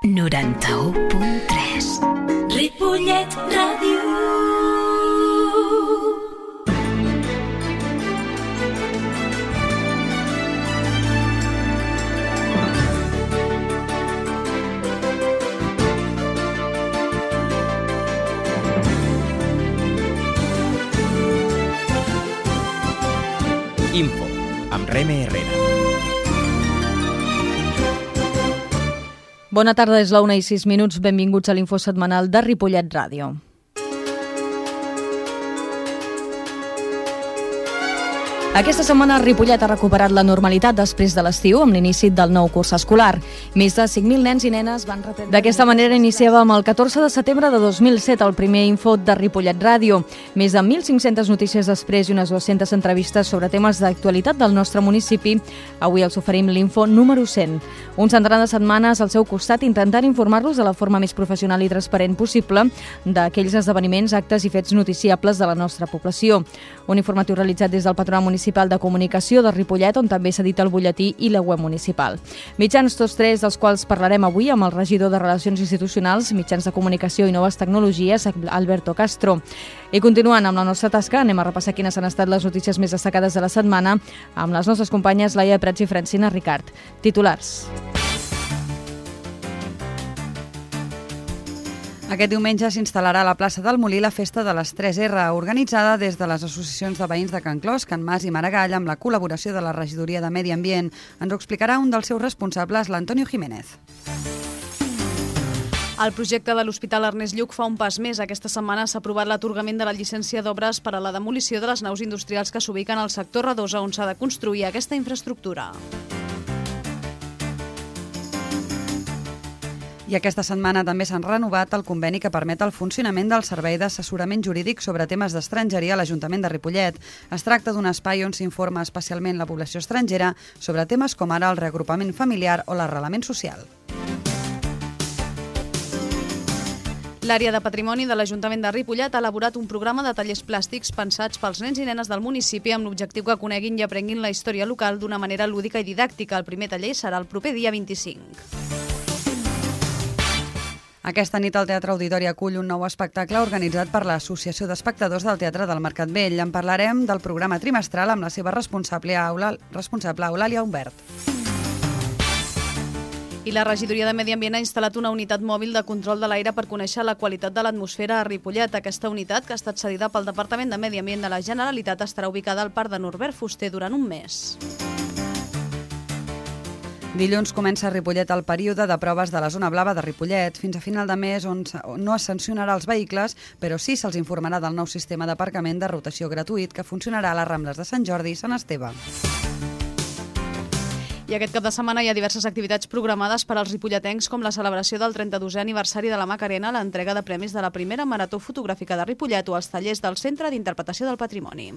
91.3 Ripollet Ràdio. Info, amb Reme Herrera. Bona tarda, és la 1:06. Benvinguts a l'info setmanal de Ripollet Ràdio. Aquesta setmana Ripollet ha recuperat la normalitat després de l'estiu amb l'inici del nou curs escolar. Més de 5.000 nens i nenes van reprendre... D'aquesta manera iniciàvem el 14 de setembre de 2007 el primer info de Ripollet Ràdio. Més de 1.500 notícies després i unes 200 entrevistes sobre temes d'actualitat del nostre municipi. Avui els oferim l'info número 100. Un centenar de setmanes al seu costat intentant informar-los de la forma més professional i transparent possible d'aquells esdeveniments, actes i fets noticiables de la nostra població. Un informatiu realitzat des del Patronat Municipal de Comunicació de Ripollet, on també s'edita el butlletí i la web municipal. Mitjans tots tres, dels quals parlarem avui amb el regidor de Relacions Institucionals, Mitjans de Comunicació i Noves Tecnologies, Alberto Castro. I continuant amb la nostra tasca, anem a repassar quines han estat les notícies més destacades de la setmana amb les nostres companyes Laia Prats i Francina Ricard. Titulars. Aquest diumenge s'instal·larà a la plaça del Molí la Festa de les 3R, organitzada des de les associacions de veïns de Can Clos, Can Mas i Maragall, amb la col·laboració de la Regidoria de Medi Ambient. Ens ho explicarà un dels seus responsables, l'Antonio Jiménez. El projecte de l'Hospital Ernest Lluch fa un pas més. Aquesta setmana s'ha aprovat l'atorgament de la llicència d'obres per a la demolició de les naus industrials que s'ubiquen al sector Redosa, on s'ha de construir aquesta infraestructura. I aquesta setmana també s'han renovat el conveni que permet el funcionament del Servei d'Assessorament Jurídic sobre temes d'estrangeria a l'Ajuntament de Ripollet. Es tracta d'un espai on s'informa especialment la població estrangera sobre temes com ara el reagrupament familiar o l'arrelament social. L'àrea de patrimoni de l'Ajuntament de Ripollet ha elaborat un programa de tallers plàstics pensats pels nens i nenes del municipi amb l'objectiu que coneguin i aprenguin la història local d'una manera lúdica i didàctica. El primer taller serà el proper dia 25. Aquesta nit el Teatre Auditori acull un nou espectacle organitzat per l'Associació d'Espectadors del Teatre del Mercat Vell. En parlarem del programa trimestral amb la seva responsable Eulàlia Humbert. I la Regidoria de Medi Ambient ha instal·lat una unitat mòbil de control de l'aire per conèixer la qualitat de l'atmosfera a Ripollet. Aquesta unitat, que ha estat cedida pel Departament de Medi Ambient de la Generalitat, estarà ubicada al Parc de Norbert Fuster durant un mes. Dilluns comença a Ripollet el període de proves de la zona blava de Ripollet. Fins a final de mes on no es sancionarà els vehicles, però sí se'ls informarà del nou sistema d'aparcament de rotació gratuït que funcionarà a les Rambles de Sant Jordi i Sant Esteve. I aquest cap de setmana hi ha diverses activitats programades per als ripolletens, com la celebració del 32è aniversari de la Macarena, l'entrega de premis de la primera marató fotogràfica de Ripollet o els tallers del Centre d'Interpretació del Patrimoni.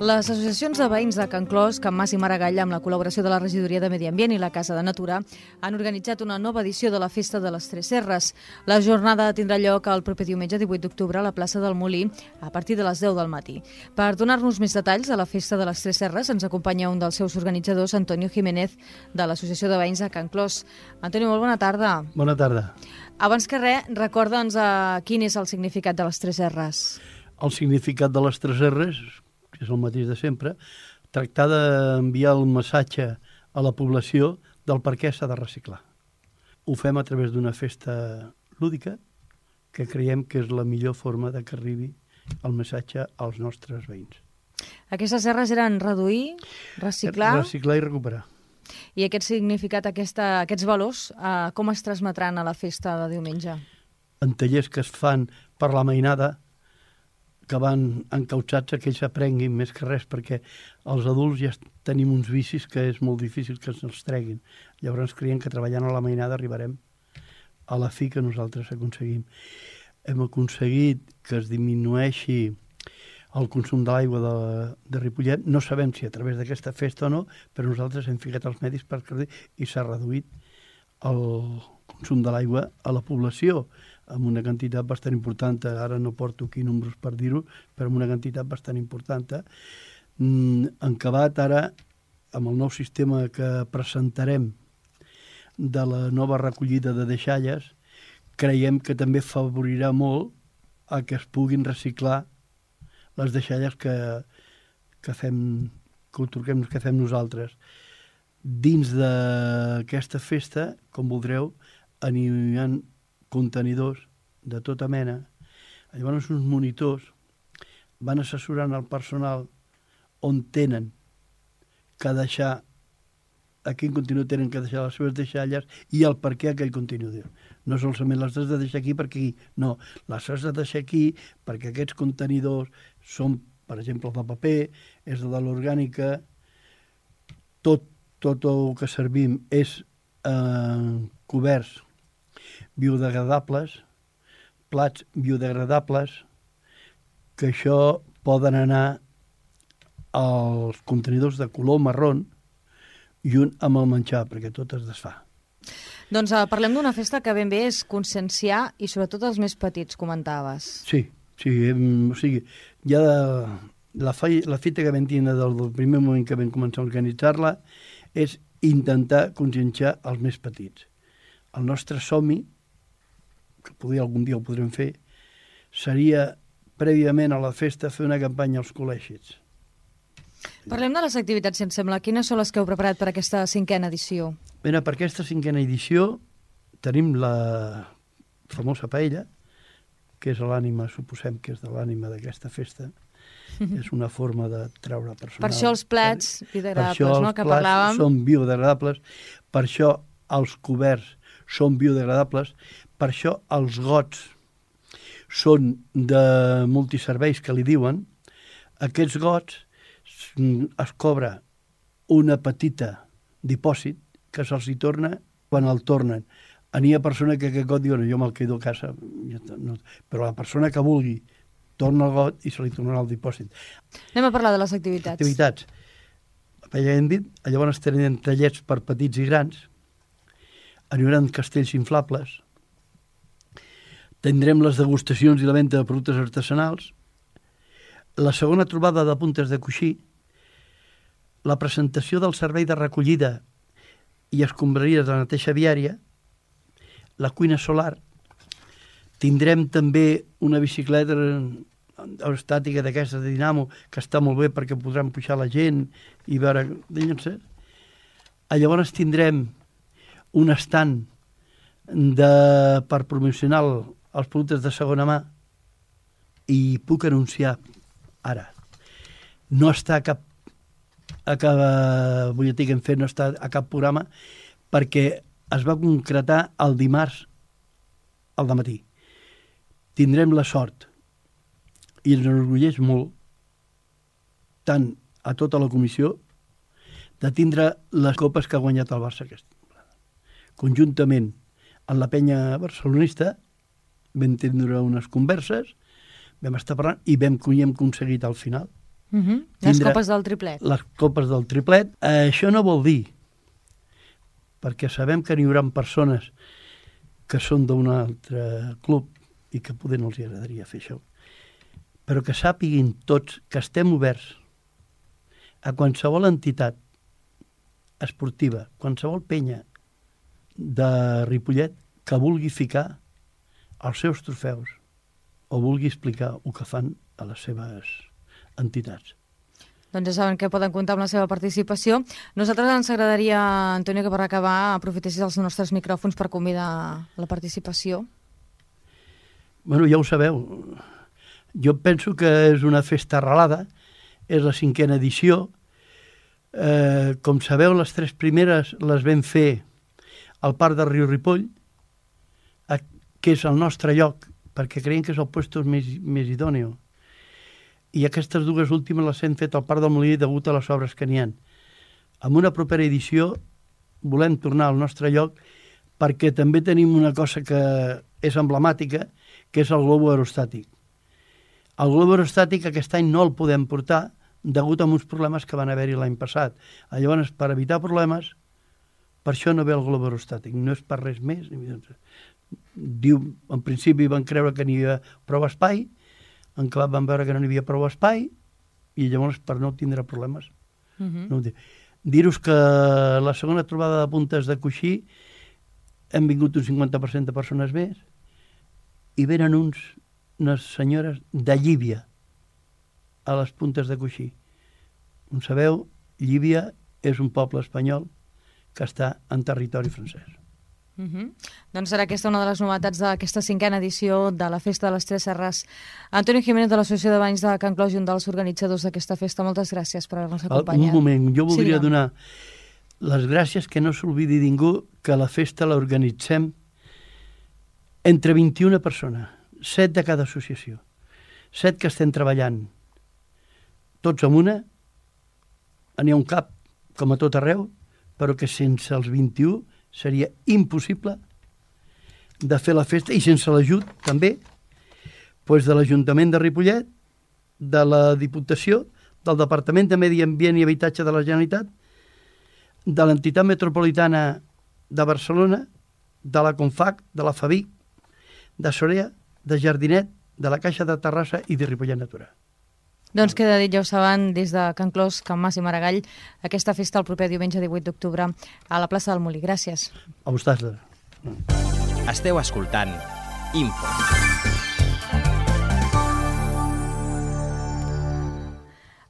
Les associacions de veïns de Can Clos, Can Mas i Maragall, amb la col·laboració de la Regidoria de Medi Ambient i la Casa de Natura, han organitzat una nova edició de la Festa de les 3Rs. La jornada tindrà lloc el proper diumenge 18 d'octubre a la plaça del Molí a partir de les 10 del matí. Per donar-nos més detalls de la Festa de les 3Rs ens acompanya un dels seus organitzadors, Antonio Jiménez, de l'Associació de Veïns de Can Clos. Antonio, molt bona tarda. Bona tarda. Abans que res, recorda'ns quin és el significat de les 3Rs. El significat de les 3Rs, que és el mateix de sempre, tractar d'enviar el missatge a la població del per què s'ha de reciclar. Ho fem a través d'una festa lúdica que creiem que és la millor forma de que arribi el missatge als nostres veïns. Aquestes R's eren reduir, reciclar... Reciclar i recuperar. I aquest significat, aquests valors, com es transmetran a la festa de diumenge? En tallers que es fan per la mainada, que van encautsats a que ells aprenguin més que res, perquè els adults ja tenim uns vicis que és molt difícil que se'ls treguin. Llavors creiem que treballant a la mainada arribarem a la fi que nosaltres aconseguim. Hem aconseguit que es disminueixi el consum de l'aigua de Ripollet. No sabem si a través d'aquesta festa o no, però nosaltres hem ficat els medis per i s'ha reduït el consum de l'aigua a la població. amb una quantitat bastant important, ara no porto aquí números per dir-ho, però amb una quantitat bastant important. En acabat ara, amb el nou sistema que presentarem de la nova recollida de deixalles, creiem que també favorirà molt a que es puguin reciclar les deixalles que fem nosaltres. Dins d'aquesta festa, com voldreu, hi ha contenidors de tota mena. Llavors uns monitors van assessorant el personal on tenen que deixar, a quin contenidor tenen que deixar les seves deixalles i el per què aquell contenidor. No solament les has de deixar aquí perquè aquí, no, les has de deixar aquí perquè aquests contenidors són, per exemple, el de paper, és de l'orgànica, tot el que servim és coberts biodegradables, plats biodegradables, que això poden anar als contenidors de color marrón i un amb el menjar, perquè tot es desfà. Doncs parlem d'una festa que ben bé és conscienciar i sobretot els més petits, comentaves. Sí, o sigui, ja la fita que vam tenir del primer moment que vam començar a organitzar-la és intentar conscienciar els més petits. El nostre somni, que algun dia ho podrem fer, seria prèviament a la festa fer una campanya als col·legis. Parlem de les activitats, si em sembla. Quines són les que heu preparat per aquesta 5a edició? Bé, per aquesta 5a edició tenim la famosa paella, que és l'ànima, suposem que és de l'ànima d'aquesta festa. És una forma de treure personal. Per això els plats biodegradables, no?, que parlàvem. Per això els plats són biodegradables, per això els coberts són biodegradables, per això els gots són de multiserveis, que li diuen. Aquests gots es cobra una petita dipòsit que se'ls hi torna quan el tornen. N'hi ha persona que aquest got diu, jo me'l quedo a casa, però la persona que vulgui torna el got i se li tornarà el dipòsit. Anem a parlar de les activitats. Activitats. Ja hem dit, llavors tenen tallets per petits i grans, hi haurà castells inflables, tindrem les degustacions i la venda de productes artesanals, la segona trobada de puntes de coixí, la presentació del servei de recollida i escombraries de neteja viària, la cuina solar, tindrem també una bicicleta aerostàtica d'aquesta de dinamo que està molt bé perquè podran pujar la gent i veure... Llavors tindrem un estand per promocionar els productes de segona mà i puc anunciar ara, no està a cap butlletí que hem fet, no està a cap programa, perquè es va concretar el dimarts al dematí. Tindrem la sort, i ens enorgulleix molt, tant a tota la comissió, de tindre les copes que ha guanyat el Barça aquesta temporada. Conjuntament amb la penya barcelonista vam tindre unes converses, vam estar parlant i hem aconseguit al final. Les copes del triplet. Les copes del triplet. Això no vol dir, perquè sabem que n'hi haurà persones que són d'un altre club i que poder no els agradaria fer això, però que sàpiguin tots que estem oberts a qualsevol entitat esportiva, qualsevol penya de Ripollet que vulgui ficar els seus trofeus o vulgui explicar el que fan a les seves entitats. Doncs ja saben que poden comptar amb la seva participació. Nosaltres ens agradaria, Antonio, que per acabar aprofitessis els nostres micròfons per convidar a la participació. Bueno, ja ho sabeu. Jo penso que és una festa arrelada, és la 5a edició. Com sabeu, les 3 primeres les vam fer al Parc de Riu Ripoll, que és el nostre lloc, perquè creiem que és el lloc més idòneo. I aquestes 2 últimes les hem fet al Parc del Molí degut a les obres que n'hi ha. En una propera edició volem tornar al nostre lloc perquè també tenim una cosa que és emblemàtica, que és el globo aerostàtic. El globo aerostàtic aquest any no el podem portar degut a uns problemes que van haver-hi l'any passat. Llavors, per evitar problemes, per això no ve el globo aerostàtic. No és per res més. En principi van creure que n'hi havia prou espai, en acabat van veure que no n'hi havia prou espai, i llavors, per no tindre problemes, no ho dic. Dir-vos que la segona trobada de puntes de coixí hem vingut un 50% de persones més i venen unes senyores de Llívia a les puntes de coixí. Com sabeu, Llívia és un poble espanyol que està en territori francès. Doncs serà aquesta una de les novetats d'aquesta 5a edició de la Festa de les Tres Serres. Antonio Jiménez, de l'Associació de Banys de Can Clos i un dels organitzadors d'aquesta festa, moltes gràcies per haver-nos acompanyat. Un moment, jo voldria donar les gràcies, que no s'oblidi ningú que la festa l'organitzem entre 21 persones, 7 de cada associació, 7 que estem treballant tots amb una, n'hi ha un cap, com a tot arreu, però que sense els 21 seria impossible de fer la festa, i sense l'ajut també de l'Ajuntament de Ripollet, de la Diputació, del Departament de Medi Ambient i Habitatge de la Generalitat, de l'Entitat Metropolitana de Barcelona, de la CONFAC, de la FABIC, de Sorea, de Jardinet, de la Caixa de Terrassa i de Ripollet Natura. Doncs queda dit, ja ho saben, des de Can Clos, Can Mas i Maragall, aquesta festa el proper diumenge 18 d'octubre a la plaça del Molí. Gràcies. A vosaltres. Esteu escoltant Info.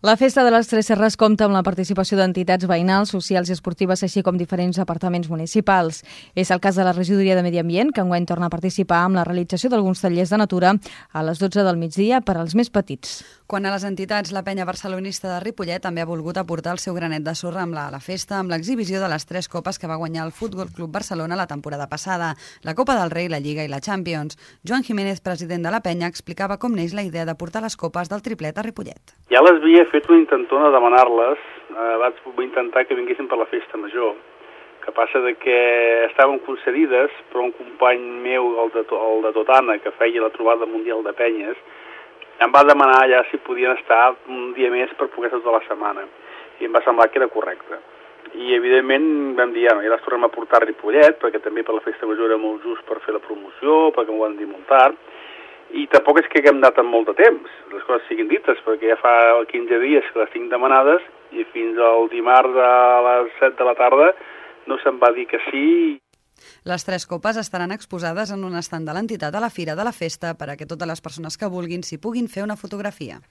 La Festa de les Tres Serres compta amb la participació d'entitats veïnals, socials i esportives, així com diferents departaments municipals. És el cas de la Regidoria de Medi Ambient, que enguany torna a participar amb la realització d'alguns tallers de natura a les 12 del migdia per als més petits. Quan a les entitats, la penya barcelonista de Ripollet també ha volgut aportar el seu granet de sorra amb la festa, amb l'exhibició de les 3 copes que va guanyar el Futbol Club Barcelona la temporada passada, la Copa del Rei, la Lliga i la Champions. Joan Jiménez, president de la penya, explicava com neix la idea de portar les copes del triplet a Ripollet. Ja les havia fet una intentona de demanar-les, vaig intentar que vinguessin per la festa major, que passa de que estaven concedides, però un company meu, el de Totana, que feia la trobada mundial de penyes, em va demanar ja si podien estar un dia més per poder estar tota la setmana, i em va semblar que era correcte. I evidentment vam dir, ja les tornem a portar a Ripollet, perquè també per la festa major era molt just per fer la promoció, perquè m'ho van dir molt tard, i tampoc és que haguem anat amb molt de temps, les coses siguin dites, perquè ja fa 15 dies que les tinc demanades i fins al dimarts a les 7 de la tarda no se'm va dir que sí. Les 3 copes estaran exposades en un estand de l'entitat a la Fira de la Festa per a que totes les persones que vulguin s'hi puguin fer una fotografia.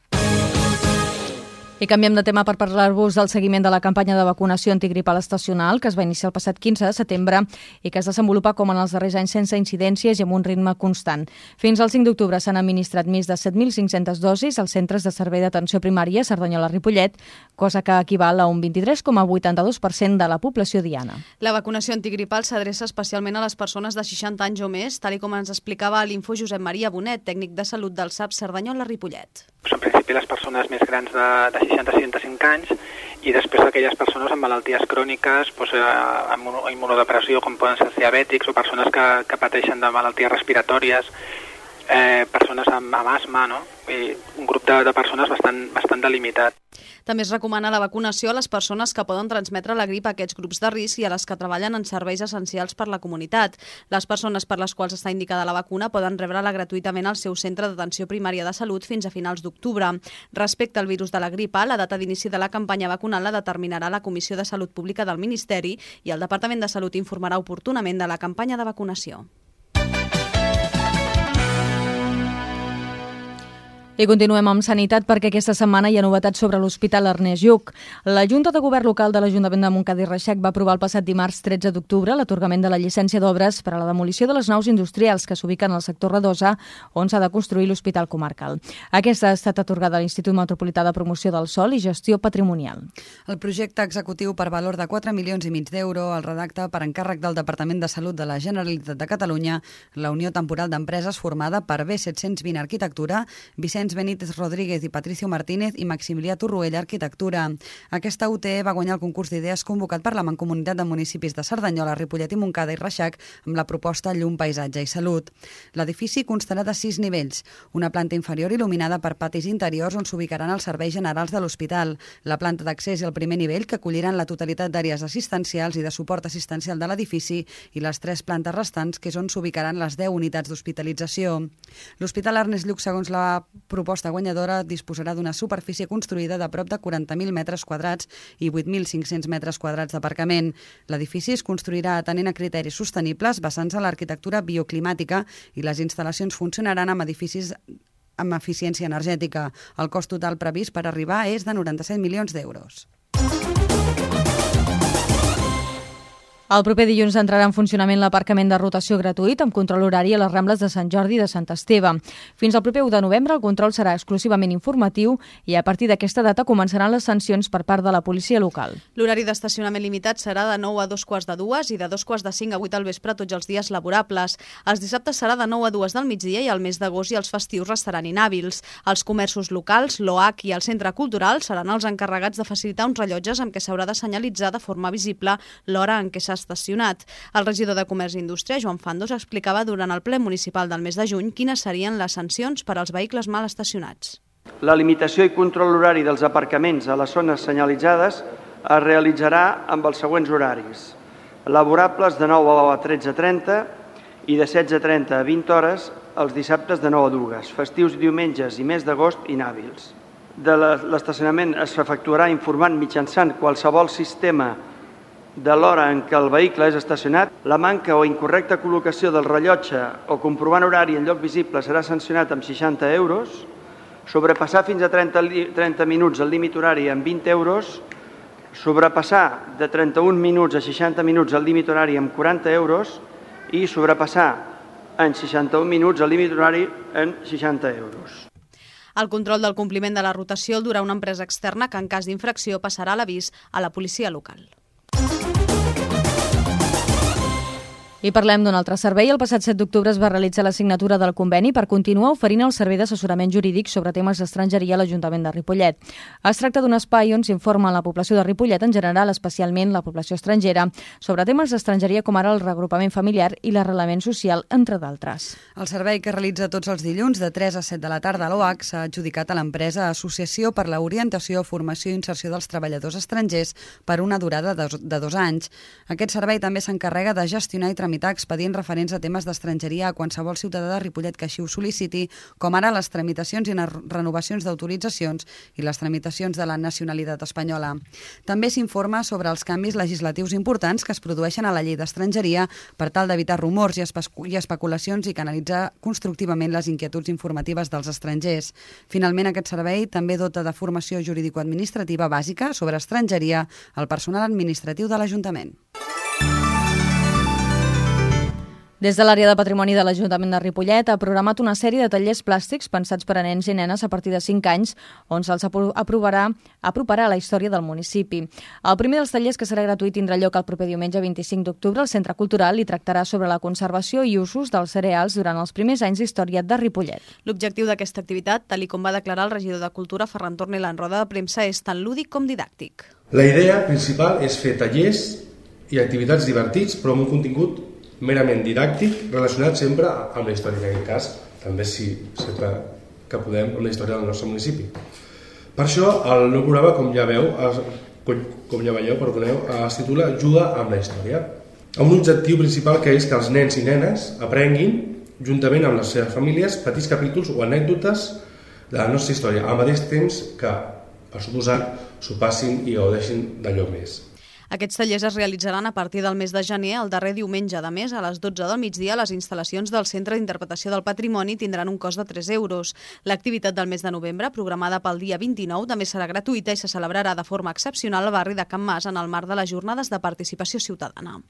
I canviem de tema per parlar-vos del seguiment de la campanya de vacunació antigripal estacional que es va iniciar el passat 15 de setembre i que es desenvolupa com en els darrers anys sense incidències i amb un ritme constant. Fins al 5 d'octubre s'han administrat més de 7.500 dosis als centres de servei d'atenció primària Cerdanyola-Ripollet, cosa que equival a un 23,82% de la població diana. La vacunació antigripal s'adreça especialment a les persones de 60 anys o més, tal com ens explicava a l'Info Josep Maria Bonet, tècnic de salut del SAP Cerdanyola-Ripollet. En principi les persones més grans de 60-65 anys i després aquelles persones amb malalties cròniques, amb immunodepressió, com poden ser diabètics o persones que pateixen de malalties respiratòries, persones amb asma, no? I un grup de persones bastant delimitat. També es recomana la vacunació a les persones que poden transmetre la grip a aquests grups de risc i a les que treballen en serveis essencials per la comunitat. Les persones per les quals està indicada la vacuna poden rebre-la gratuïtament al seu centre d'atenció primària de salut fins a finals d'octubre. Respecte al virus de la grip A, la data d'inici de la campanya vacunal la determinarà la Comissió de Salut Pública del Ministeri i el Departament de Salut informarà oportunament de la campanya de vacunació. I continuem amb sanitat perquè aquesta setmana hi ha novetats sobre l'Hospital Ernest Lluch. La Junta de Govern Local de l'Ajuntament de Montcada i Reixac va aprovar el passat dimarts 13 d'octubre l'atorgament de la llicència d'obres per a la demolició de les naus industrials que s'ubiquen al sector Redosa, on s'ha de construir l'Hospital Comarcal. Aquesta ha estat atorgada a l'Institut Metropolità de Promoció del Sòl i Gestió Patrimonial. El projecte executiu per valor de 4,5 milions d'euros el redacta per encàrrec del Departament de Salut de la Generalitat de Catalunya la Unió Temporal d'Empreses formada per B720 Arquitectura, Vicenç Vicenç Benítez Rodríguez i Patricio Martínez i Maximilià Torroella, Arquitectura. Aquesta UTE va guanyar el concurs d'idees convocat per la Mancomunitat de Municipis de Cerdanyola, Ripollet i Montcada i Reixac amb la proposta Llum, Paisatge i Salut. L'edifici constarà de 6 nivells, una planta inferior il·luminada per patis interiors on s'ubicaran els serveis generals de l'hospital, la planta d'accés i el primer nivell que acolliran la totalitat d'àrees assistencials i de suport assistencial de l'edifici i les 3 plantes restants que és on s'ubicaran les 10 unitats d'hospitalització. L'Hospital Ernest Lluch, segons la proposta guanyadora, disposarà d'una superfície construïda de prop de 40.000 metres quadrats i 8.500 metres quadrats d'aparcament. L'edifici es construirà atenent a criteris sostenibles basant-se en l'arquitectura bioclimàtica i les instal·lacions funcionaran amb edificis amb eficiència energètica. El cost total previst per arribar és de 97 milions d'euros. El proper dilluns entrarà en funcionament l'aparcament de rotació gratuït amb control horari a les Rambles de Sant Jordi i de Sant Esteve. Fins al proper 1 de novembre el control serà exclusivament informatiu i a partir d'aquesta data començaran les sancions per part de la policia local. L'horari d'estacionament limitat serà de 9 a 2:45 i de 2:45 a 8 al vespre tots els dies laborables. Els dissabtes serà de 9 a 2 del migdia i al mes d'agost i els festius restaran inhàbils. Els comerços locals, l'OAC i el centre cultural seran els encarregats de facilitar uns rellotges amb què s'haurà de senyalitzar de forma visible l'hora en què s'ha estacionat. El regidor de Comerç i Indústria, Joan Fandos, explicava durant el ple municipal del mes de juny quines serien les sancions per als vehicles mal estacionats. La limitació i control horari dels aparcaments a les zones senyalitzades es realitzarà amb els següents horaris. Laborables de 9 a 13:30 i de 16:30 a 20 hores els dissabtes de 9 a 2, festius, diumenges i mes d'agost inhàbils. De l'estacionament es efectuarà informant mitjançant qualsevol sistema de l'hora en què el vehicle és estacionat. La manca o incorrecta col·locació del rellotge o comprovant horari en lloc visible serà sancionat amb 60 euros. Sobrepassar fins a 30 minuts el límit horari amb 20 euros. Sobrepassar de 31 minuts a 60 minuts el límit horari amb 40 euros. I sobrepassar en 61 minuts el límit horari en 60 euros. El control del compliment de la rotació el durà una empresa externa que en cas d'infracció passarà l'avís a la policia local. I parlem d'un altre servei. El passat 7 d'octubre es va realitzar la signatura del conveni per continuar oferint el servei d'assessorament jurídic sobre temes d'estrangeria a l'Ajuntament de Ripollet. Es tracta d'un espai on s'informa a la població de Ripollet, en general, especialment la població estrangera, sobre temes d'estrangeria com ara el reagrupament familiar i l'arrelament social, entre d'altres. El servei que realitza tots els dilluns de 3 a 7 de la tarda a l'OAC s'ha adjudicat a l'empresa Associació per l'Orientació, Formació i Inserció dels Treballadors Estrangers per una durada de 2 anys. Aquest servei també s'encarrega de gestionar i tramitar expedients referents a temes d'estrangeria a qualsevol ciutadà de Ripollet que així ho sol·liciti, com ara les tramitacions i renovacions d'autoritzacions i les tramitacions de la nacionalitat espanyola. També s'informa sobre els canvis legislatius importants que es produeixen a la llei d'estrangeria per tal d'evitar rumors i especulacions i canalitzar constructivament les inquietuds informatives dels estrangers. Finalment, aquest servei també dota de formació jurídico-administrativa bàsica sobre estrangeria al personal administratiu de l'Ajuntament. Des de l'àrea de patrimoni de l'Ajuntament de Ripollet ha programat una sèrie de tallers plàstics pensats per a nens i nenes a partir de 5 anys, on se'ls aproparà a la història del municipi. El primer dels tallers, que serà gratuït, tindrà lloc el proper diumenge 25 d'octubre al Centre Cultural i tractarà sobre la conservació i usos dels cereals durant els primers anys d'història de Ripollet. L'objectiu d'aquesta activitat, tal com va declarar el regidor de Cultura, Ferran Tornel, en roda de premsa, és tant lúdic com didàctic. La idea principal és fer tallers i activitats divertits, però amb un contingut merament didàctic, relacionat sempre amb la història, en aquest cas, també sempre que podem, amb la història del nostre municipi. Per això, el nou programa, com ja veieu, es titula Juga amb la història, amb un objectiu principal que és que els nens i nenes aprenguin, juntament amb les seves famílies, petits capítols o anècdotes de la nostra història, al mateix temps que, per suposat, s'ho passin i gaudeixin d'allò més. Aquests tallers es realitzaran a partir del mes de gener, el darrer diumenge de mes, a les 12 del migdia. Les instal·lacions del Centre d'Interpretació del Patrimoni tindran un cost de 3 euros. L'activitat del mes de novembre, programada pel dia 29, també serà gratuïta i se celebrarà de forma excepcional al barri de Can Mas en el marc de les jornades de participació ciutadana.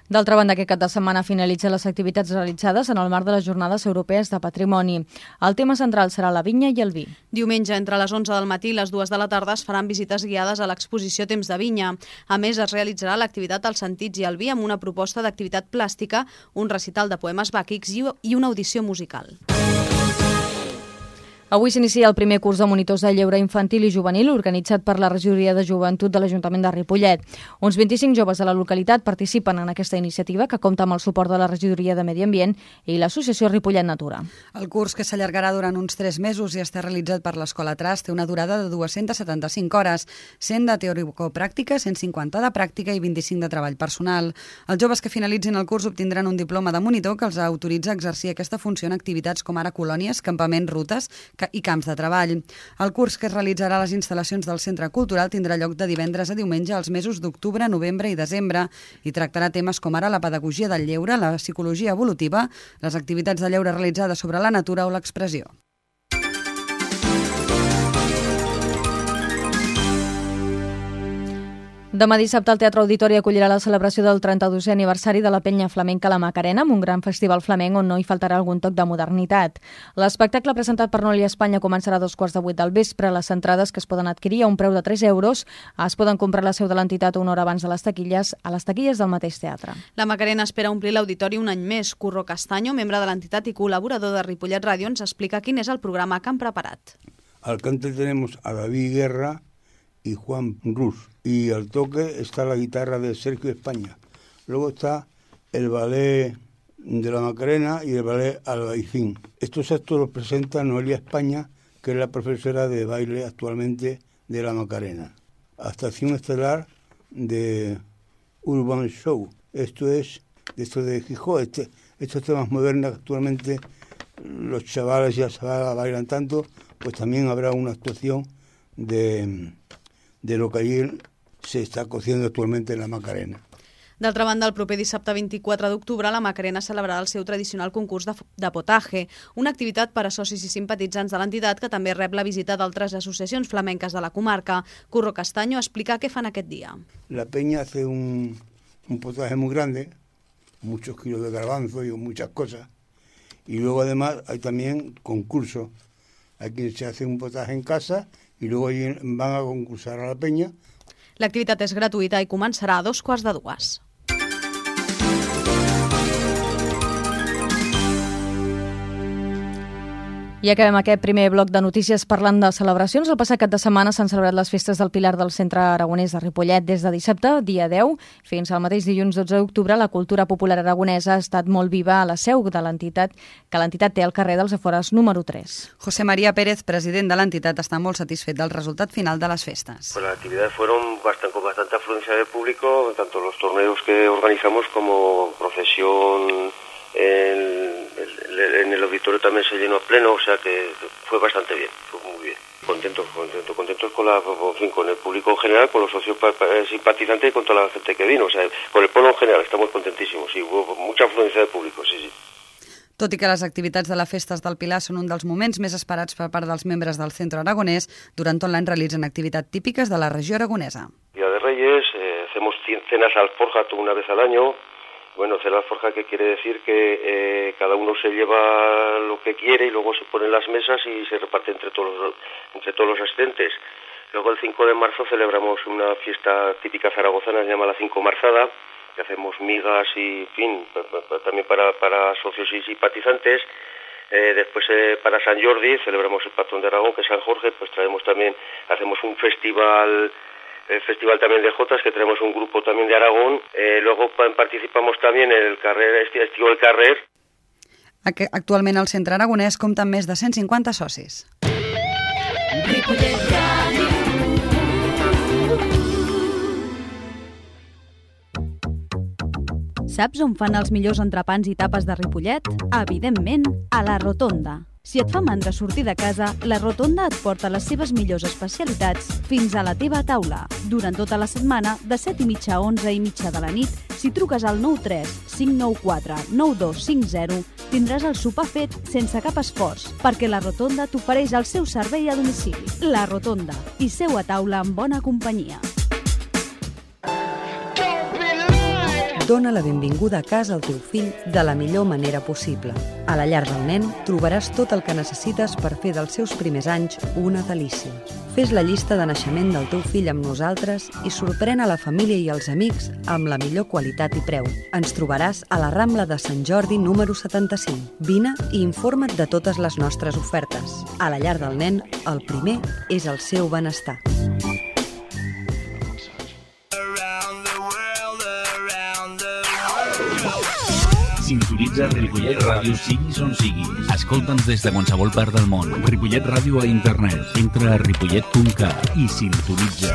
D'altra banda, aquest cap de setmana finalitzen les activitats realitzades en el marc de les Jornades Europees de Patrimoni. El tema central serà la vinya i el vi. Diumenge, entre les 11 del matí i les 2 de la tarda, es faran visites guiades a l'exposició Temps de Vinya. A més, es realitzarà l'activitat als sentits i el vi amb una proposta d'activitat plàstica, un recital de poemes bàquics i una audició musical. Avui s'inicia el primer curs de monitors de lleure infantil i juvenil organitzat per la Regidoria de Joventut de l'Ajuntament de Ripollet. Uns 25 joves de la localitat participen en aquesta iniciativa que compta amb el suport de la Regidoria de Medi Ambient i l'Associació Ripollet Natura. El curs, que s'allargarà durant uns 3 mesos i està realitzat per l'Escola Tras, té una durada de 275 hores, 100 de teoricopràctica, 150 de pràctica i 25 de treball personal. Els joves que finalitzin el curs obtindran un diploma de monitor que els autoritza a exercir aquesta funció en activitats com ara colònies, campaments, rutes i camps de treball. El curs, que es realitzarà a les instal·lacions del Centre Cultural, tindrà lloc de divendres a diumenge als mesos d'octubre, novembre i desembre i tractarà temes com ara la pedagogia del lleure, la psicologia evolutiva, les activitats de lleure realitzades sobre la natura o l'expressió. Demà dissabte el Teatre Auditori acollirà la celebració del 32è aniversari de la Penya Flamenca La Macarena, amb un gran festival flamenc on no hi faltarà algun toc de modernitat. L'espectacle presentat per Noli Espanya començarà a 2:15 del vespre. Les entrades, que es poden adquirir a un preu de 3 euros, es poden comprar a la seu de l'entitat una hora abans de les taquilles, a les taquilles del mateix teatre. La Macarena espera omplir l'auditori un any més. Curro Castaño, membre de l'entitat i col·laborador de Ripollet Ràdio, ens explica quin és el programa que han preparat. Al cante tenemos a David Guerra y Juan Rus. Y al toque está la guitarra de Sergio España. Luego está el ballet de la Macarena y el ballet Albaicín. Estos actos los presenta Noelia España, que es la profesora de baile actualmente de la Macarena. Actuación estelar de Urban Show. Esto es de Gijón. Estos temas modernos que actualmente los chavales y las chavalas bailan tanto, pues también habrá una actuación de lo que allí se està cociendo actualmente en la Macarena. D'altra banda, el proper dissabte 24 d'octubre, la Macarena celebrarà el seu tradicional concurs de potaje, una activitat per a socis i simpatitzants de l'entitat que també rep la visita d'altres associacions flamenques de la comarca. Curro Castaño explica què fan aquest dia. La peña hace un potaje muy grande, muchos kilos de garbanzo y muchas cosas, y luego además hay también concursos. Hay quien se hace un potaje en casa y luego van a concursar a la peña. L'activitat és gratuïta i començarà a 2:15. I acabem aquest primer bloc de notícies parlant de celebracions. El passat cap de setmana s'han celebrat les festes del Pilar del Centre Aragonès de Ripollet. Des de dissabte, dia 10, fins al mateix dilluns 12 d'octubre, la cultura popular aragonesa ha estat molt viva a la seu de l'entitat, que l'entitat té al carrer dels Afores número 3. José María Pérez, president de l'entitat, està molt satisfet del resultat final de les festes. Pues las actividades fueron con bastante afluencia de público, tanto los torneos que organizamos como procesión. En el auditorio también se llenó a pleno, o sea que fue bastante bien, fue muy bien. Contentos con el público en general, con los socios simpatizantes y con toda la gente que vino, o sea, con el pueblo en general estamos contentísimos, sí, hubo mucha afluencia de público, sí. Tot i que les activitats de les festes del Pilar són un dels moments més esperats per part dels membres del Centre Aragonès, durant tot l'any realitzen activitats típiques de la regió aragonesa. Día de Reyes, hacemos cenas alforja una vez al año. Bueno, cena alforja, que quiere decir que cada uno se lleva lo que quiere y luego se ponen las mesas y se reparte entre todos los asistentes. Luego el 5 de marzo celebramos una fiesta típica zaragozana, se llama la 5 Marzada, que hacemos migas y, en fin, también para socios y simpatizantes. Después para San Jordi celebramos el patrón de Aragón, que es San Jorge, pues hacemos un festival. El festival también de Jotas, que tenemos un grupo también de Aragón. Luego participamos también en el Estiu del Carrer. Actualment el Centre Aragonès compta amb més de 150 socis. Saps on fan els millors entrepans i tapes de Ripollet? Evidentment, a la Rotonda. Si et fa mandra sortir de casa, la Rotonda et porta les seves millors especialitats fins a la teva taula. Durant tota la setmana, de 7:30 a 11:30 de la nit, si truques al 93 594 9250, tindràs el sopar fet sense cap esforç, perquè la Rotonda t'ofereix el seu servei a domicili. La Rotonda, i seu a taula en bona companyia. Dóna la benvinguda a casa al teu fill de la millor manera possible. A la llar del nen trobaràs tot el que necessites per fer dels seus primers anys una delícia. Fes la llista de naixement del teu fill amb nosaltres i sorprèn a la família i els amics amb la millor qualitat i preu. Ens trobaràs a la Rambla de Sant Jordi número 75. Vine i informa't de totes les nostres ofertes. A la llar del nen, el primer és el seu benestar. Sintonitza Ripollet Ràdio siguis on siguis. Escolta'ns des de qualsevol part del món. Ripollet Ràdio a internet. Entra a ripollet.cat i sintonitza.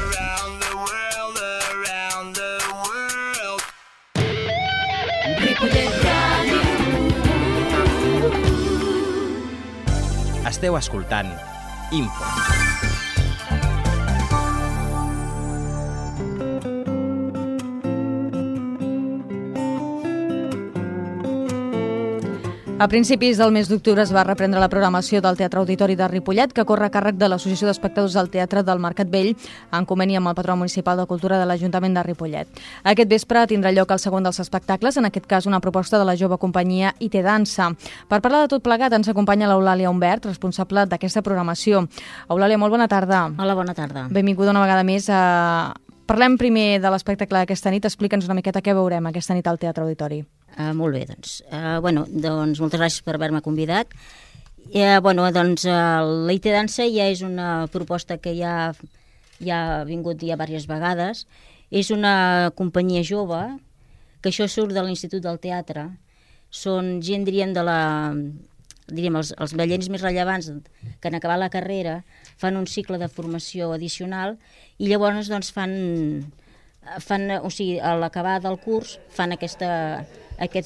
Ripollet Ràdio. Esteu escoltant Info. A principis del mes d'octubre es va reprendre la programació del Teatre Auditori de Ripollet, que corre a càrrec de l'Associació d'Espectadors del Teatre del Mercat Vell, en conveni amb el Patró Municipal de Cultura de l'Ajuntament de Ripollet. Aquest vespre tindrà lloc el segon dels espectacles, en aquest cas una proposta de la jove companyia IT Dansa. Per parlar de tot plegat ens acompanya l'Eulàlia Humbert, responsable d'aquesta programació. Eulàlia, molt bona tarda. Hola, bona tarda. Benvinguda una vegada més a... Parlem primer de l'espectacle d'aquesta nit. Explica'ns una miqueta què veurem aquesta nit al Teatre Auditori. Molt bé, doncs. Doncs moltes gràcies per haver-me convidat. La IT Dansa ja és una proposta que ja ha vingut ja diverses vegades. És una companyia jove, que això surt de l'Institut del Teatre. Són gent, diríem, els ballers més rellevants que en acabar la carrera fan un cicle de formació addicional i llavors doncs, a l'acabar del curs fan aquests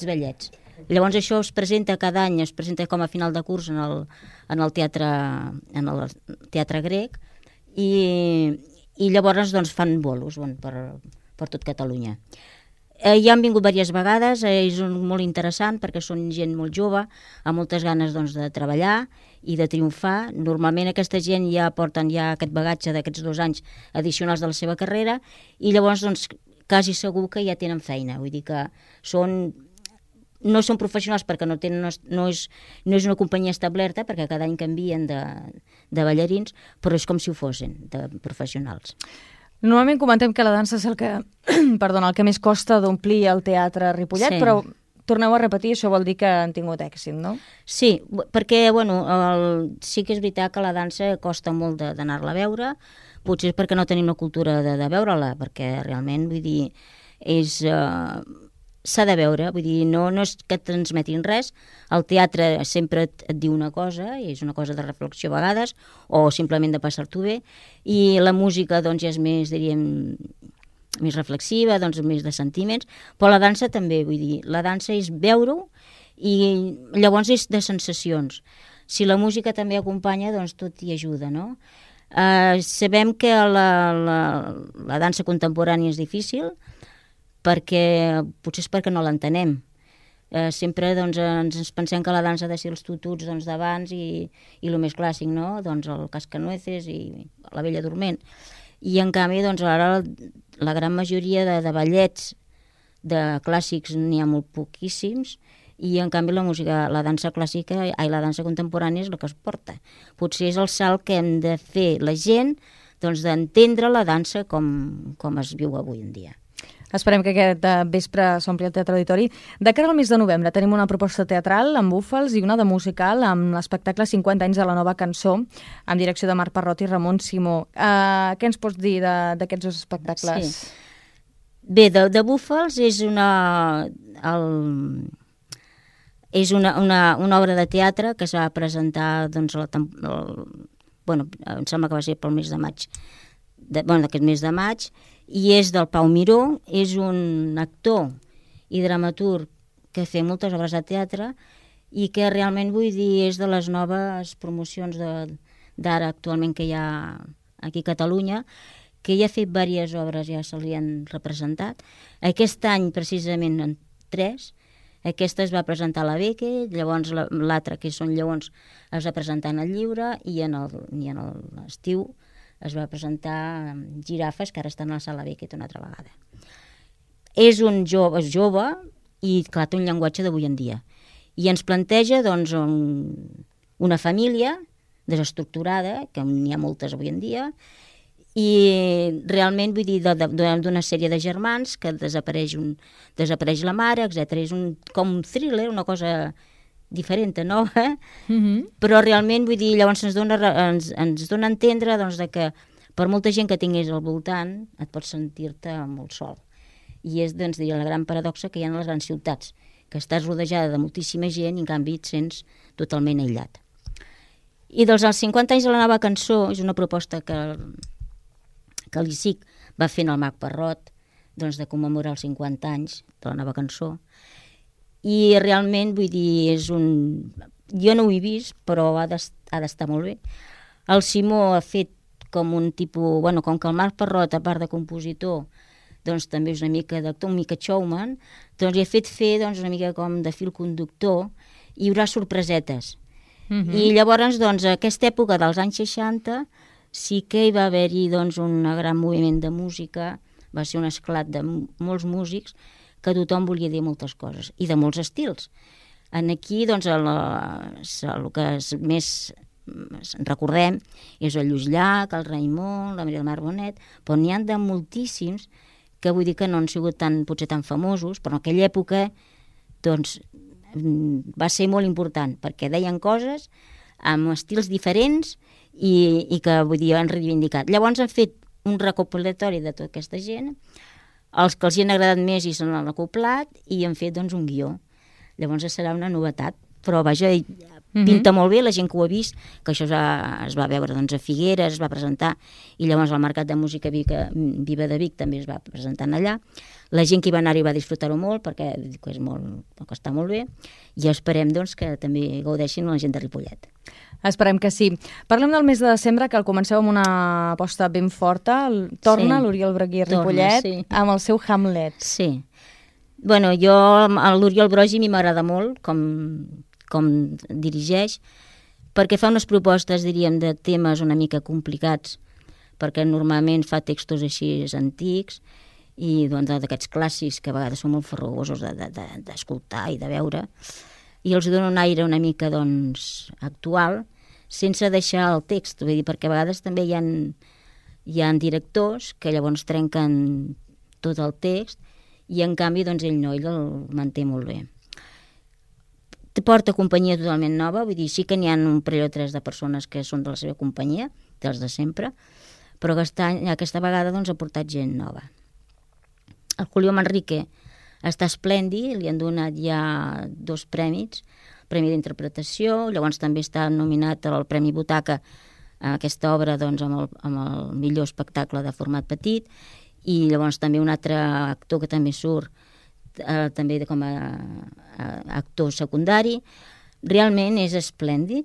ballets. Llavors això es presenta cada any, es presenta com a final de curs en el teatre grec i llavors doncs, fan bolos per tot Catalunya. Ja han vingut diverses vegades, és molt interessant perquè són gent molt jove, amb moltes ganes doncs, de treballar i de triomfar. Normalment aquesta gent ja porten aquest bagatge d'aquests 2 anys addicionals de la seva carrera i llavors doncs, quasi segur que ja tenen feina. Vull dir que no són professionals perquè no és una companyia establerta, perquè cada any canvien de ballarins, però és com si ho fossin de professionals. Normalment comentem que la dansa és el que més costa d'omplir el teatre Ripollet, sí. Però torneu a repetir, això vol dir que han tingut èxit, no? Sí, perquè sí que és veritat que la dansa costa molt d'anar-la a veure, potser és perquè no tenim la cultura de veure-la, perquè realment, vull dir, s'ha de veure, vull dir, no és que et transmetin res, el teatre sempre et diu una cosa, i és una cosa de reflexió a vegades, o simplement de passar-t'ho bé, i la música doncs ja és més, diríem, més reflexiva, doncs més de sentiments, però la dansa també, vull dir, la dansa és veure-ho i llavors és de sensacions. Si la música també acompanya, doncs tot hi ajuda, no? Sabem que la dansa contemporània és difícil, potser és perquè no l'entenem. Sempre doncs, ens pensem que la dansa ha de ser els tututs d'abans i el més clàssic, no? Doncs el cascanueces i la bella dorment. I en canvi, doncs, ara la gran majoria de ballets de clàssics n'hi ha molt poquíssims i en canvi la dansa clàssica i la dansa contemporània és el que es porta. Potser és el salt que hem de fer la gent doncs, d'entendre la dansa com es viu avui en dia. Esperem que aquest vespre s'ompli el Teatre Auditori. De cara al mes de novembre tenim una proposta teatral amb búfals i una de musical amb l'espectacle 50 anys de la nova cançó, amb direcció de Marc Parrot i Ramon Simó. Què ens pots dir d'aquests 2 espectacles? Sí. Bé, de búfals és una obra de teatre que s'ha presentar doncs, em sembla que va ser pel mes de maig, d'aquest mes de maig, i és del Pau Miró, és un actor i dramaturg que fa moltes obres de teatre i que realment, vull dir, és de les noves promocions d'ara actualment que hi ha aquí a Catalunya, que ja ha fet diverses obres, ja se li han representat. Aquest any, precisament, en 3, aquesta es va presentar a la Beque, llavors l'altra, que són lleons, es va presentar en el Lliure i en l'estiu es va presentar Girafes, que ara estan a la Sala Beckett una altra vegada. És jove i, clar, té un llenguatge d'avui en dia. I ens planteja, doncs, una família desestructurada, que n'hi ha moltes avui en dia, i realment, vull dir, d'una sèrie de germans que desapareix la mare, etc. És com un thriller, una cosa diferent, nova, però realment, vull dir, llavors ens dona a entendre doncs, que per molta gent que tingués al voltant et pots sentir-te molt sol. I és, doncs, la gran paradoxa que hi ha a les grans ciutats, que estàs rodejada de moltíssima gent i en canvi et sents totalment aïllat. I dels 50 anys de la nova cançó és una proposta que l'ICIC va fer en el Mag Parrot, doncs, de commemorar els 50 anys de la nova cançó. I realment, vull dir, jo no ho he vist, però ha d'estar molt bé. El Simó ha fet com un tipus... com que el Marc Parrot, a part de compositor, doncs també és una mica d'actor, una mica showman, doncs hi ha fet fer una mica com de fil conductor, i hi haurà sorpresetes. I llavors, doncs, a aquesta època dels anys 60 sí que hi va haver-hi doncs, un gran moviment de música, va ser un esclat de molts músics, que tothom volia dir moltes coses, i de molts estils. Aquí, doncs, el que més recordem és el Lluís Llach, el Raimon, la Maria del Mar Bonet, però n'hi ha de moltíssims que vull dir que no han sigut potser tan famosos, però en aquella època doncs, va ser molt important, perquè deien coses amb estils diferents i que, vull dir, han reivindicat. Llavors han fet un recopilatori de tota aquesta gent, els que els hi han agradat més i se n'han acoplat, i han fet doncs, un guió. Llavors serà una novetat, però vaja, pinta molt bé, la gent que ho ha vist, que això es va veure doncs, a Figueres, es va presentar, i llavors al Mercat de Música Viva de Vic també es va presentar allà. La gent que hi va anar-hi va disfrutar-ho molt, perquè està molt bé, i esperem doncs, que també gaudeixin la gent de Ripollet. Esperem que sí. Parlem del mes de desembre, que el comenceu amb una aposta ben forta. Torna l'Oriol Brogui a Ripollet amb el seu Hamlet. Sí. Bueno, l'Oriol Brogui a mi m'agrada molt com dirigeix, perquè fa unes propostes, diríem, de temes una mica complicats, perquè normalment fa textos així antics i doncs, d'aquests clàssics que a vegades són molt farragosos d'escoltar i de veure, i els dona un aire una mica doncs, actual, sense deixar el text, vull dir, perquè a vegades també hi ha directors que llavors trenquen tot el text i en canvi doncs, ell no, ell el manté molt bé. Porta companyia totalment nova, vull dir, sí que n'hi ha un parell o tres de persones que són de la seva companyia, dels de sempre, però aquesta vegada doncs, ha portat gent nova. El Julio Manrique està esplèndid, li han donat ja 2 premis, Premi d'interpretació, llavors també està nominat al Premi Butaca a aquesta obra doncs, amb el millor espectacle de format petit, i llavors també un altre actor que també surt també com a actor secundari. Realment és esplèndid.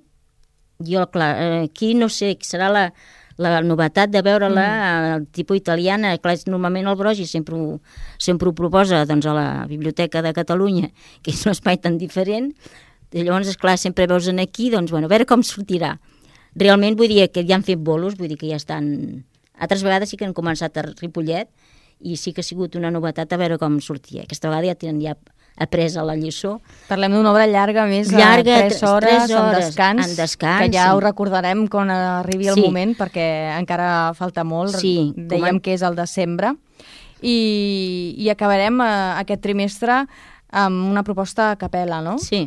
Jo, clar, aquí no sé, serà la novetat de veure-la tipus italiana. Clar, normalment el Brogui sempre ho proposa doncs, a la Biblioteca de Catalunya, que és un espai tan diferent. I llavors, esclar, sempre veus aquí, doncs, bueno, a veure com sortirà. Realment vull dir que ja han fet bolos, vull dir que ja estan... Altres vegades sí que han començat a Ripollet, i sí que ha sigut una novetat a veure com sortia. Aquesta vegada ja tenen apresa la lliçó. Parlem d'una obra llarga, més de 3 hores en descans, que ja ho recordarem quan arribi el moment, perquè encara falta molt, dèiem que és el desembre, i acabarem aquest trimestre amb una proposta a capella, no? Sí.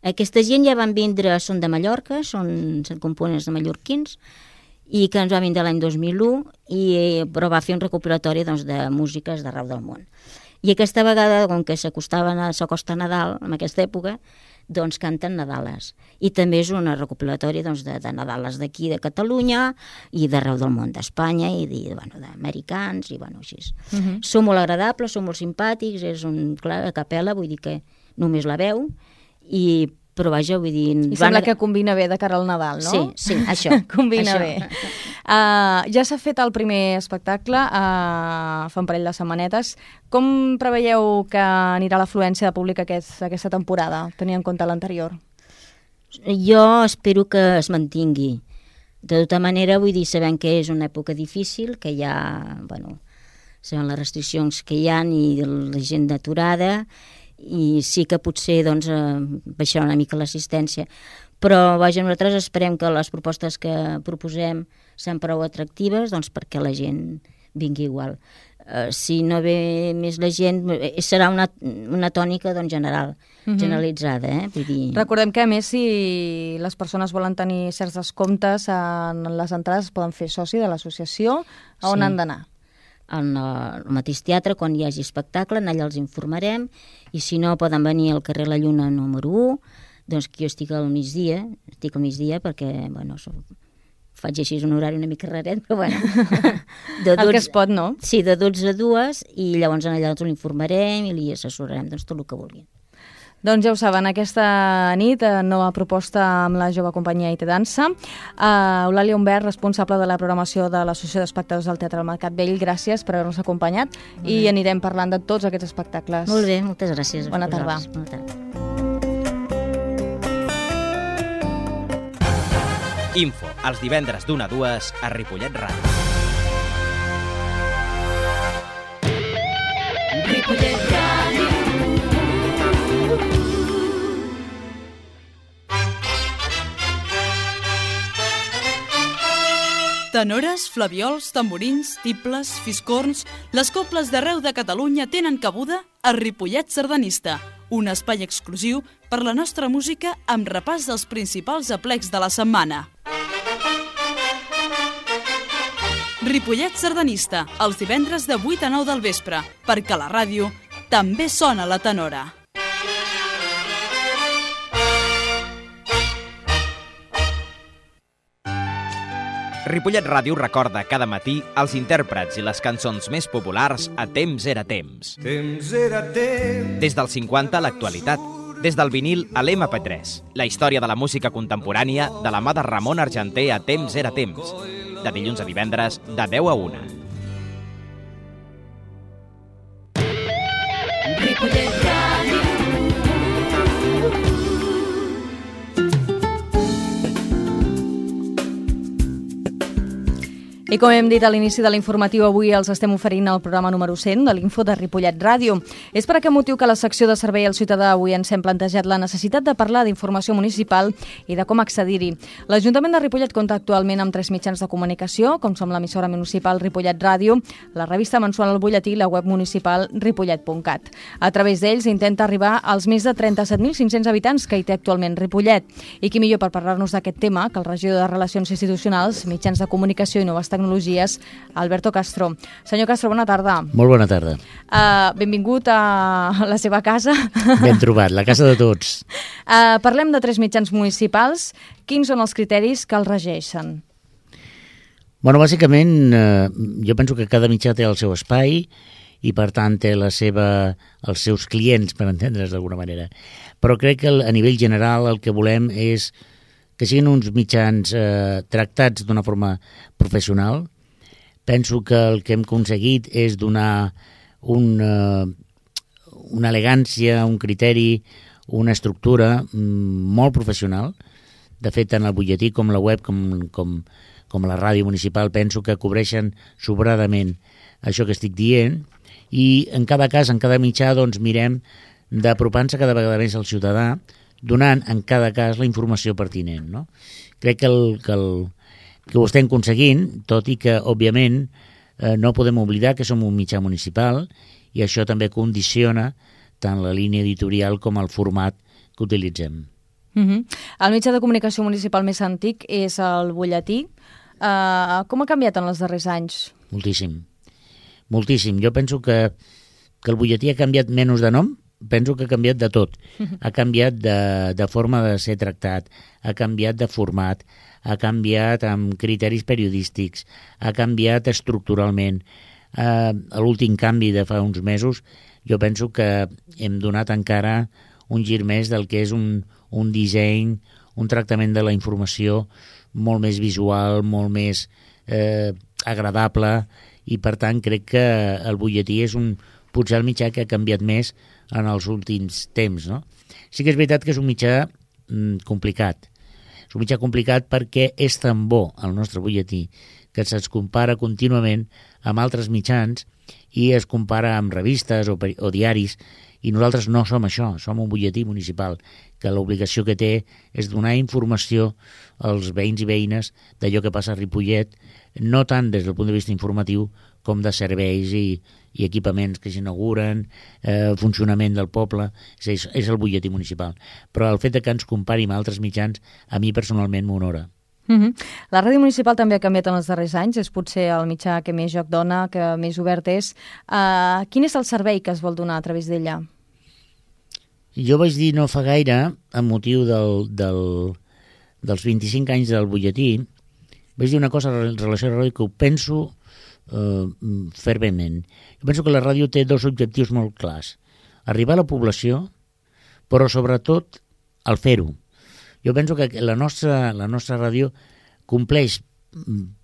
Aquesta gent ja van vindre, són de Mallorca, són components de mallorquins, i que ens va vindre l'any 2001, però va fer un recopilatori doncs, de músiques d'arreu del món. I aquesta vegada, com que s'acosta Nadal, en aquesta època, doncs canten Nadales. I també és un recopilatori doncs, de Nadales d'aquí, de Catalunya, i d'arreu del món, d'Espanya, i d'americans, i així. Són molt agradables, són molt simpàtics, és clar, a capella, vull dir que només la veu, però vaja, vull dir... I sembla que combina bé de cara al Nadal, no? Sí, això. Combina bé. Ja s'ha fet el primer espectacle fa un parell de setmanetes. Com preveieu que anirà l'afluència de públic aquesta temporada, tenint en compte l'anterior? Jo espero que es mantingui. De tota manera, vull dir, sabem que és una època difícil, que hi ha, sabem les restriccions que hi ha i la gent d'aturada, i sí que potser doncs, baixarà una mica l'assistència, Però, vaja, nosaltres esperem que les propostes que proposem sean prou atractives, doncs perquè la gent vingui igual. Si no ve més la gent, serà una tònica doncs, generalitzada. Vull dir... Recordem que, a més, si les persones volen tenir certs descomptes en les entrades, poden fer soci de l'associació. A on han d'anar? Al mateix teatre, quan hi hagi espectacle, allà els informarem, i si no, poden venir al carrer La Lluna número 1, doncs que jo estic al migdia perquè, bueno, faig així un horari una mica raret, però bueno. El que es pot, no? Sí, de 12 a 2, i llavors allà els l'informarem i li assessorarem tot el que vulguin. Doncs ja ho saben, aquesta nit, nova proposta amb la jove companyia IT Dansa. Eulàlia Humbert, responsable de la programació de l'Associació d'Espectadors del Teatre del Mercat Vell, gràcies per haver-nos acompanyat i anirem parlant de tots aquests espectacles. Molt bé, moltes gràcies. Bona tarda. Bona tarda. Info, els divendres d'1 a 2 a Ripollet Ràdio. Ripollet Ràdio. Tenores, flaviols, tamborins, tibles, fiscorns... Les cobles d'arreu de Catalunya tenen cabuda a Ripollet Sardanista, un espai exclusiu per la nostra música amb repàs dels principals aplecs de la setmana. Ripollet Sardanista, els divendres de 8 a 9 del vespre, perquè a la ràdio també sona la tenora. Ripollet Ràdio recorda cada matí els intèrprets i les cançons més populars a Temps era temps. Temps era temps. Des dels 50 a l'actualitat, des del vinil a l'MP3, la història de la música contemporània de la mà de Ramon Argenter a Temps era temps, de dilluns a divendres, de 10 a 1. Ripollet Ràdio. I com hem dit a l'inici de l'informatiu, avui els estem oferint el programa número 100 de l'Info de Ripollet Ràdio. És per aquest motiu que a la secció de Servei al Ciutadà avui ens hem plantejat la necessitat de parlar d'informació municipal i de com accedir-hi. L'Ajuntament de Ripollet compta actualment amb 3 mitjans de comunicació, com són l'emissora municipal Ripollet Ràdio, la revista mensual El Butlletí i la web municipal ripollet.cat. A través d'ells intenta arribar als més de 37.500 habitants que hi té actualment Ripollet. I qui millor per parlar-nos d'aquest tema que el regidor de Relacions Institucionals, Mitjans de Comunicació i Noves Tecnologies, Alberto Castro. Senyor Castro, bona tarda. Molt bona tarda. Benvingut a la seva casa. Ben trobat, la casa de tots. Parlem de 3 mitjans municipals. Quins són els criteris que els regeixen? Bueno, bàsicament, jo penso que cada mitjà té el seu espai i, per tant, té els seus clients, per entendre's d'alguna manera. Però crec que a nivell general el que volem és que siguin uns mitjans tractats d'una forma professional. Penso que el que hem aconseguit és donar una elegància, un criteri, una estructura molt professional. De fet, tant el butlletí com la web com la ràdio municipal penso que cobreixen sobradament això que estic dient, i en cada cas, en cada mitjà, doncs mirem d'apropar-nos cada vegada més al ciutadà, donant en cada cas la informació pertinent, no? Crec que ho estem aconseguint, tot i que, òbviament, no podem oblidar que som un mitjà municipal i això també condiciona tant la línia editorial com el format que utilitzem. El mitjà de comunicació municipal més antic és el butlletí. Com ha canviat en els darrers anys? Moltíssim. Moltíssim. Jo penso que el butlletí ha canviat menys de nom, penso que ha canviat de tot. Ha canviat de forma de ser tractat, ha canviat de format, ha canviat amb criteris periodístics, ha canviat estructuralment. L'últim canvi de fa uns mesos, jo penso que hem donat encara un gir més del que és un disseny, un tractament de la informació molt més visual, molt més agradable, i per tant crec que el butlletí és potser el mitjà que ha canviat més en els últims temps, no? Sí que és veritat que és un mitjà complicat. És un mitjà complicat perquè és tan bo el nostre butlletí que se'ns compara contínuament amb altres mitjans i es compara amb revistes o diaris, I nosaltres no som això, som un butlletí municipal, que l'obligació que té és donar informació als veïns i veïnes d'allò que passa a Ripollet, no tant des del punt de vista informatiu com de serveis i equipaments que s'inauguren, funcionament del poble, és el butlletí municipal. Però el fet de que ens compari amb altres mitjans, a mi personalment m'honora. La ràdio municipal també ha canviat en els darrers anys, és potser el mitjà que més joc dona, que més obert és. Quin és el servei que es vol donar a través d'ella? Jo vaig dir no fa gaire, amb motiu dels 25 anys del butlletí, vaig dir una cosa en relació a la ràdio que ho penso ferventment. Jo penso que la ràdio té dos objectius molt clars. Arribar a la població, però sobretot el fer-ho. Jo penso que la nostra ràdio compleix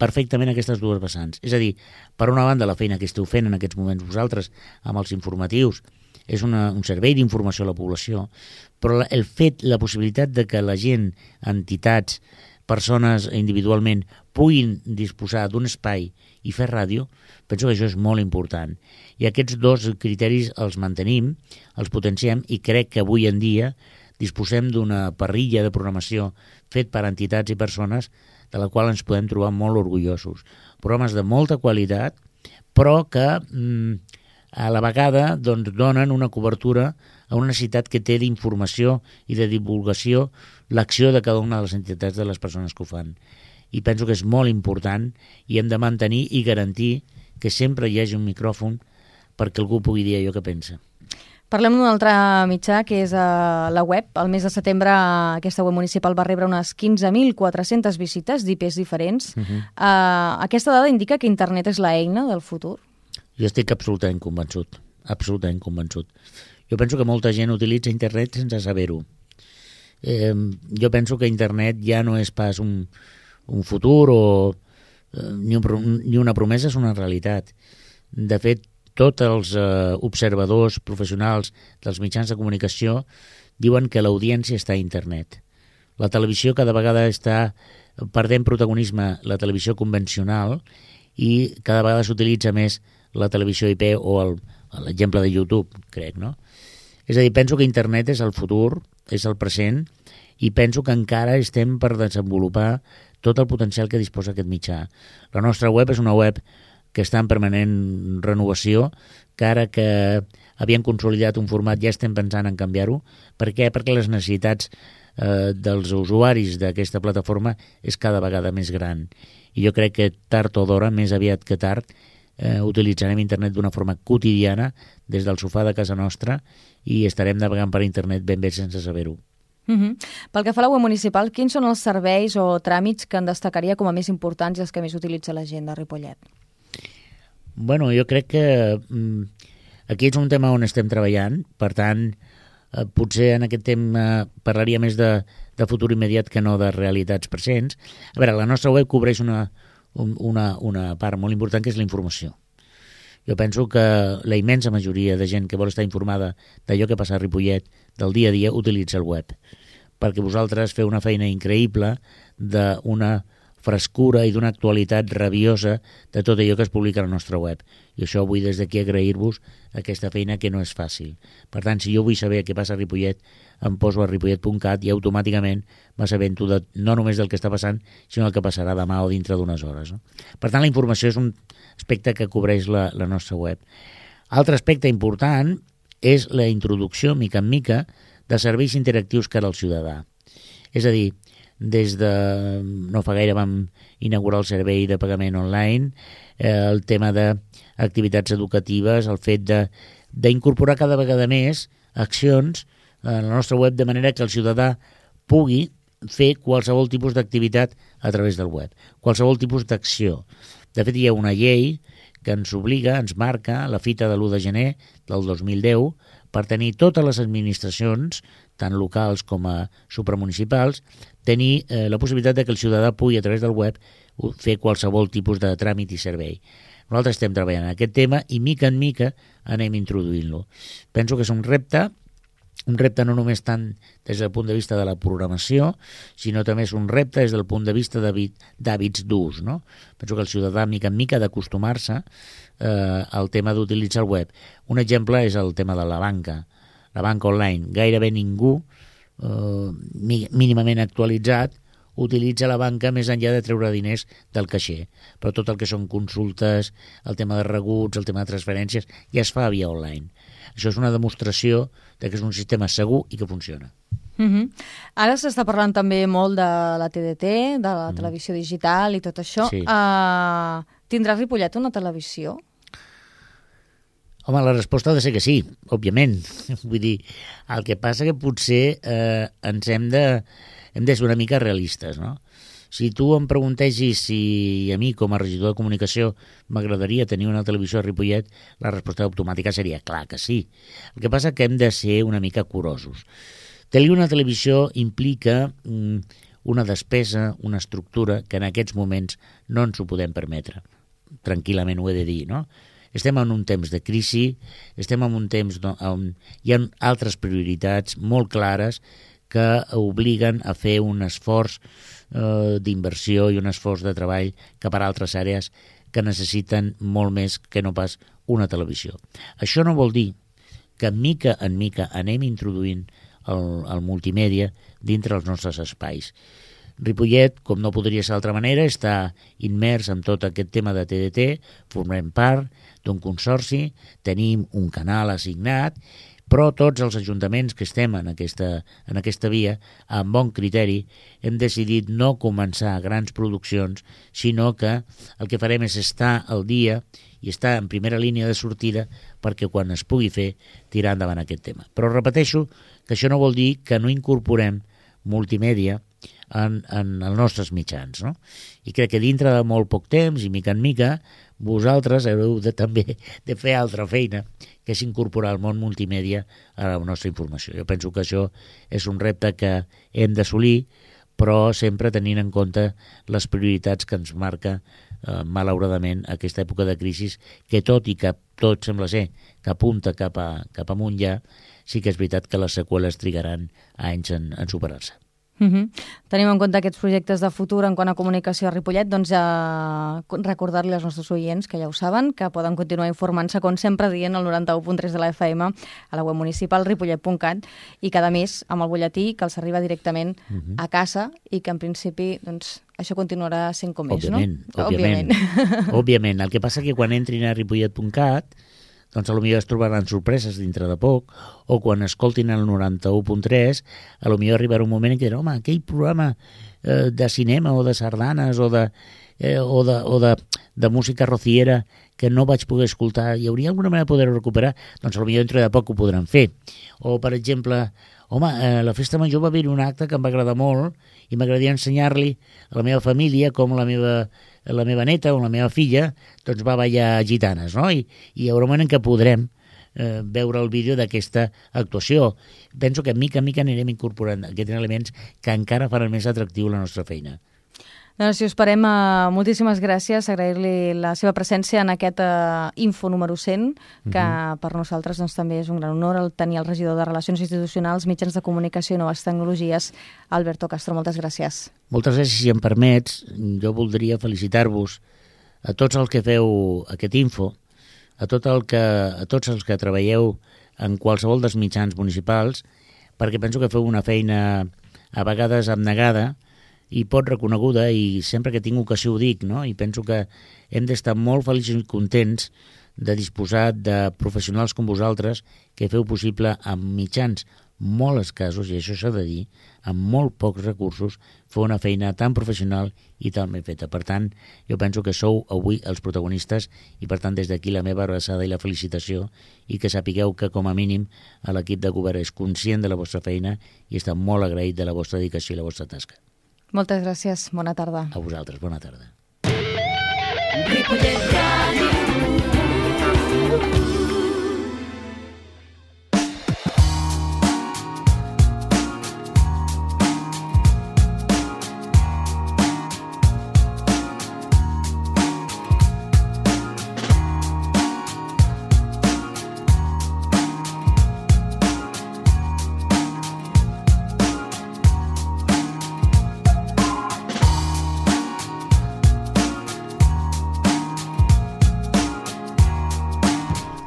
perfectament aquestes dues vessants. És a dir, per una banda, la feina que esteu fent en aquests moments vosaltres amb els informatius és un servei d'informació a la població, però el fet, la possibilitat de que la gent, entitats, persones individualment puguin disposar d'un espai i fer ràdio, penso que això és molt important. I aquests dos criteris els mantenim, els potenciem i crec que avui en dia disposem d'una parrilla de programació fet per entitats i persones de la qual ens podem trobar molt orgullosos. Programes de molta qualitat, però que a la vegada donen una cobertura a una necessitat que té d'informació i de divulgació l'acció de cada una de les entitats de les persones que ho fan. I penso que és molt important i hem de mantenir i garantir que sempre hi hagi un micròfon perquè algú pugui dir allò que pensa. Parlem d'un altre mitjà, que és la web. El mes de setembre aquesta web municipal va rebre unes 15.400 visites d'IPs diferents. Aquesta dada indica que internet és l'eina del futur? Jo estic absolutament convençut, absolutament convençut. Jo penso que molta gent utilitza internet sense saber-ho. Jo penso que internet ja no és pas un futur ni una promesa, és una realitat. De fet, tots els observadors professionals dels mitjans de comunicació diuen que l'audiència està a internet. La televisió cada vegada està perdent protagonisme, la televisió convencional, i cada vegada s'utilitza més la televisió IP o l'exemple de YouTube, crec, no? És a dir, penso que internet és el futur, és el present, i penso que encara estem per desenvolupar tot el potencial que disposa aquest mitjà. La nostra web és una web que està en permanent renovació, que ara que havíem consolidat un format ja estem pensant en canviar-ho. Per què? Perquè les necessitats dels usuaris d'aquesta plataforma és cada vegada més gran. I jo crec que tard o d'hora, més aviat que tard, utilitzarem internet d'una forma quotidiana des del sofà de casa nostra i estarem navegant per internet ben bé sense saber-ho. Pel que fa a la web municipal, quins són els serveis o tràmits que en destacaria com a més importants i els que més utilitza la gent de Ripollet? Bueno, jo crec que aquí és un tema on estem treballant, per tant, potser en aquest tema parlaria més de futur immediat que no de realitats presents. A veure, la nostra web cobreix una part molt important, que és la informació. Jo penso que la immensa majoria de gent que vol estar informada d'allò que passa a Ripollet del dia a dia utilitza el web, perquè vosaltres feu una feina increïble d'una frescura i d'una actualitat rabiosa de tot allò que es publica a la nostra web. I això vull des d'aquí agrair-vos aquesta feina que no és fàcil. Per tant, si jo vull saber què passa a Ripollet, em poso a ripollet.cat i automàticament m'assabento no només del que està passant, sinó del que passarà demà o dintre d'unes hores. No? Per tant, la informació és un aspecte que cobreix la nostra web. Altre aspecte important és la introducció, mica en mica, de serveis interactius cara al ciutadà. És a dir, des de no fa gaire vam inaugurar el servei de pagament online, el tema d'activitats educatives, el fet d'incorporar cada vegada més accions a la nostra web de manera que el ciutadà pugui fer qualsevol tipus d'activitat a través del web, qualsevol tipus d'acció. De fet, hi ha una llei que ens obliga, ens marca la fita de l'1 de gener del 2010 per tenir totes les administracions, tant locals com a supramunicipals, tenir la possibilitat de que el ciutadà pugui a través del web fer qualsevol tipus de tràmit i servei. Nosaltres estem treballant en aquest tema i mica en mica anem introduint-lo. Penso que és un repte no només tant des del punt de vista de la programació, sinó també és un repte des del punt de vista d'hàbits d'ús. No? Penso que el ciutadà mica en mica ha d'acostumar-se al tema d'utilitzar el web. Un exemple és el tema de la banca. la banca online, gairebé ningú mínimament actualitzat utilitza la banca més enllà de treure diners del caixer. Però tot el que són consultes, el tema de rebuts, el tema de transferències, ja es fa via online. Això és una demostració de que és un sistema segur i que funciona. Ara s'està parlant també molt de la TDT, de la televisió digital i tot això. Sí. Tindrà Ripollet una televisió? Home, la resposta ha de ser que sí, òbviament. Vull dir, el que passa que potser ens hem de ser una mica realistes, no? Si tu em preguntegis si a mi, com a regidor de comunicació, m'agradaria tenir una televisió a Ripollet, la resposta automàtica seria clar que sí. El que passa que hem de ser una mica curosos. Tenir una televisió implica una despesa, una estructura que en aquests moments no ens ho podem permetre. Tranquil·lament ho he de dir, no? Estem en un temps de crisi, estem en un temps on hi ha altres prioritats molt clares que obliguen a fer un esforç d'inversió i un esforç de treball cap a altres àrees que necessiten molt més que no pas una televisió. Això no vol dir que mica en mica anem introduint el multimèdia dintre els nostres espais. Ripollet, com no podria ser d'altra manera, està immers en tot aquest tema de TDT, formem part d'un consorci, tenim un canal assignat, però tots els ajuntaments que estem en aquesta via, amb bon criteri, hem decidit no començar grans produccions, sinó que el que farem és estar al dia i estar en primera línia de sortida perquè quan es pugui fer tirar endavant aquest tema. Però repeteixo que això no vol dir que no incorporem multimèdia en els nostres mitjans, no? I crec que dintre de molt poc temps i mica en mica vosaltres haureu també de fer altra feina, que és incorporar el món multimèdia a la nostra informació. Jo penso que això és un repte que hem d'assolir, però sempre tenint en compte les prioritats que ens marca malauradament aquesta època de crisi, que tot i que tot sembla ser que apunta cap amunt ja, sí que és veritat que les seqüeles trigaran anys en superar-se. Tenim en compte aquests projectes de futur en quant a comunicació a Ripollet, doncs recordar-li als nostres oients, que ja ho saben, que poden continuar informant-se, com sempre, dient el 91.3 de la FM a la web municipal ripollet.cat i cada mes amb el butlletí que els arriba directament a casa i que en principi doncs, això continuarà sent com és, no? Òbviament. El que passa que quan entrin a ripollet.cat doncs potser es trobaran sorpreses dintre de poc, o quan escoltin el 91.3, potser arribarà un moment en què diran, home, aquell programa de cinema o de sardanes o de música rociera que no vaig poder escoltar, hi hauria alguna manera de poder recuperar? Doncs potser dintre de poc ho podran fer. O, per exemple, home, a la festa major va haver un acte que em va agradar molt i m'agradaria ensenyar-li a la meva família com la meva neta o la meva filla doncs va ballar gitanes, no? I hi haurà un moment en què podrem veure el vídeo d'aquesta actuació. Penso que mica en mica anirem incorporant aquests elements que encara faran més atractiu la nostra feina. Doncs si us parem, moltíssimes gràcies, agrair-li la seva presència en aquest Info número 100, que per nosaltres doncs, també és un gran honor el tenir el regidor de Relacions Institucionals, Mitjans de Comunicació i Noves Tecnologies, Alberto Castro. Moltes gràcies. Moltes gràcies, si em permets, jo voldria felicitar-vos a tots els que feu aquest Info, a tots els que treballeu en qualsevol dels mitjans municipals, perquè penso que feu una feina a vegades abnegada i pot reconeguda, i sempre que tinc ocasió ho dic, no? I penso que hem d'estar molt feliços i contents de disposar de professionals com vosaltres que feu possible amb mitjans molt escassos, i això s'ha de dir, amb molt pocs recursos, fer una feina tan professional i tan ben feta. Per tant, jo penso que sou avui els protagonistes i, per tant, des d'aquí la meva abraçada i la felicitació, i que sapigueu que, com a mínim, l'equip de govern és conscient de la vostra feina i està molt agraït de la vostra dedicació i la vostra tasca. Moltes gràcies. Bona tarda. A vosaltres. Bona tarda. Ripollet Ràdio.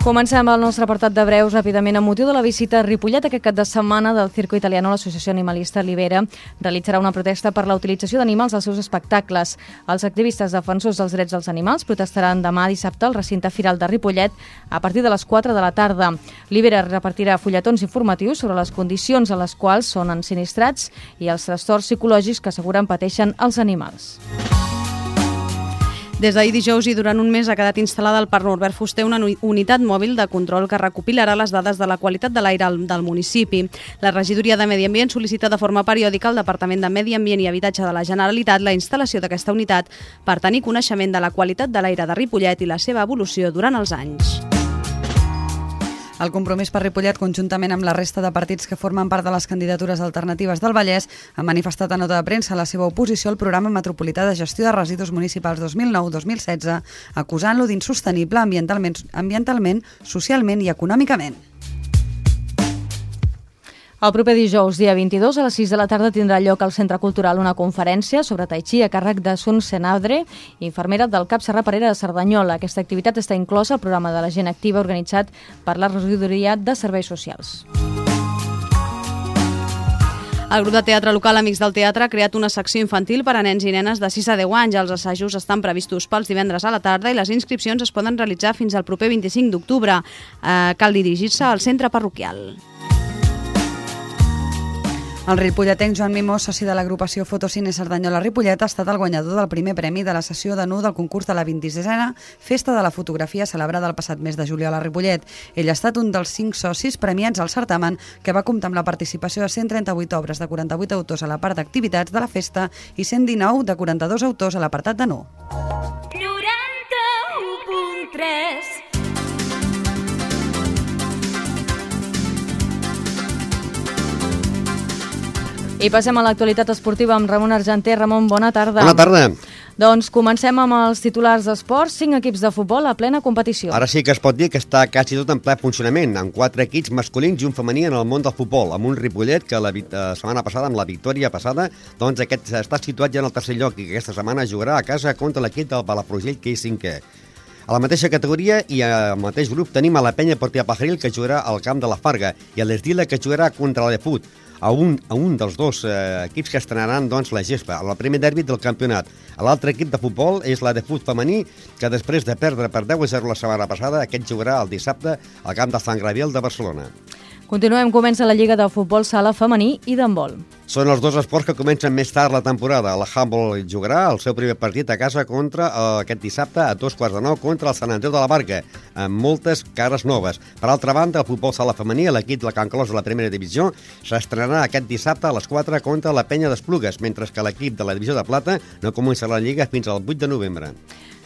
Comencem el nostre apartat de breus ràpidament. Amb motiu de la visita a Ripollet aquest cap de setmana del Circo Italiano, l'associació animalista Libera realitzarà una protesta per la utilització d'animals als seus espectacles. Els activistes defensors dels drets dels animals protestaran demà dissabte al recinte firal de Ripollet a partir de les 4 de la tarda. Libera repartirà fulletons informatius sobre les condicions a les quals són ensinistrats i els trastorns psicològics que asseguren pateixen els animals. Des d'ahir dijous i durant un mes ha quedat instal·lada al Parc Norbert Fuster una unitat mòbil de control que recopilarà les dades de la qualitat de l'aire del municipi. La regidoria de Medi Ambient sol·licita de forma periòdica al Departament de Medi Ambient i Habitatge de la Generalitat la instal·lació d'aquesta unitat per tenir coneixement de la qualitat de l'aire de Ripollet i la seva evolució durant els anys. El Compromís per Ripollet, conjuntament amb la resta de partits que formen part de les candidatures alternatives del Vallès, ha manifestat a nota de premsa la seva oposició al Programa Metropolità de Gestió de Residus Municipals 2009-2016, acusant-lo d'insostenible ambientalment, socialment i econòmicament. El proper dijous, dia 22, a les 6 de la tarda, tindrà lloc al Centre Cultural una conferència sobre tai chi a càrrec de Sun Senadre, infermera del CAP Serra Parera de Cerdanyola. Aquesta activitat està inclosa al programa de la gent activa organitzat per la Regidoria de Serveis Socials. El grup de teatre local Amics del Teatre ha creat una secció infantil per a nens i nenes de 6 a 10 anys. Els assajos estan previstos pels divendres a la tarda i les inscripcions es poden realitzar fins al proper 25 d'octubre. Cal dirigir-se al centre parroquial. El ripolletenc Joan Mimó, soci de l'agrupació Fotocine Cerdanyola Ripollet, ha estat el guanyador del primer premi de la sessió de nu del concurs de la 26a Festa de la Fotografia celebrada el passat mes de juliol a Ripollet. Ell ha estat un dels 5 socis premiats al certamen, que va comptar amb la participació de 138 obres de 48 autors a la part d'activitats de la festa i 119 de 42 autors a l'apartat de nu. 91.3 I passem a l'actualitat esportiva amb Ramon Argenter. Ramon, bona tarda. Bona tarda. Doncs comencem amb els titulars d'esports. 5 equips de futbol a plena competició. Ara sí que es pot dir que està quasi tot en ple funcionament, amb 4 equips masculins i un femení en el món del futbol, amb un Ripollet que la setmana passada, amb la victòria passada, doncs aquest està situat ja en el tercer lloc i que aquesta setmana jugarà a casa contra l'equip del Palafrugell, que és 5è. A la mateixa categoria i al mateix grup tenim a la Penya Portia Pajaril, que jugarà al camp de la Farga, i a l'Esdila, que jugarà contra l'Efut, a un dels dos equips que estrenaran doncs, la gespa, al primer derbi del campionat. L'altre equip de futbol és la de fut femení, que després de perdre per 10-0 la setmana passada, aquest jugarà el dissabte al camp de Sant Gabriel de Barcelona. Continuem, comença la Lliga de Futbol Sala femení i d'handbol. Són els dos esports que comencen més tard la temporada. El handball jugarà el seu primer partit a casa aquest dissabte a 8:15 contra el Sant Andreu de la Barca, amb moltes cares noves. Per altra banda, el futbol sala femení, l'equip de la Can Clos de la primera divisió, s'estrenarà aquest dissabte a les 4 contra la Penya d'Esplugues, mentre que l'equip de la divisió de plata no començarà la Lliga fins al 8 de novembre.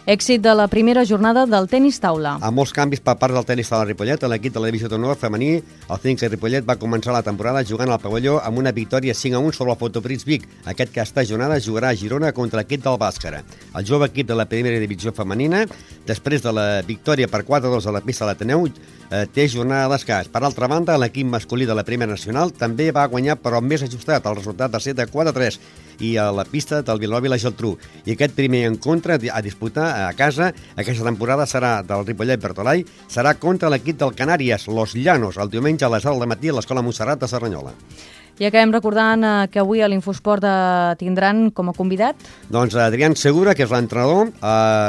Èxit de la primera jornada del tenis taula. Amb molts canvis per part del tenis taula Ripollet, l'equip de la divisió d'honor femení, el Cinca Ripollet, va començar la temporada jugant al pavelló amb una victòria 5-1 sobre el Fotopris Vic. Aquesta jornada jugarà a Girona contra l'equip del Bàscara. El jove equip de la primera divisió femenina, després de la victòria per 4-2 a la pista de l'Ateneu, té jornada de descans. Per altra banda, l'equip masculí de la primera nacional també va guanyar, però més ajustat, el resultat de 7-4-3 i a la pista del Vilanova i la Geltrú. I aquest primer encontre a disputar a casa aquesta temporada serà del Ripollet Bertolai, serà contra l'equip del Canàries, Los Llanos, el diumenge a les 10 del matí a l'Escola Montserrat de Cerdanyola. I acabem recordant que avui a l'Infosport tindran com a convidat doncs Adrián Segura, que és l'entrenador,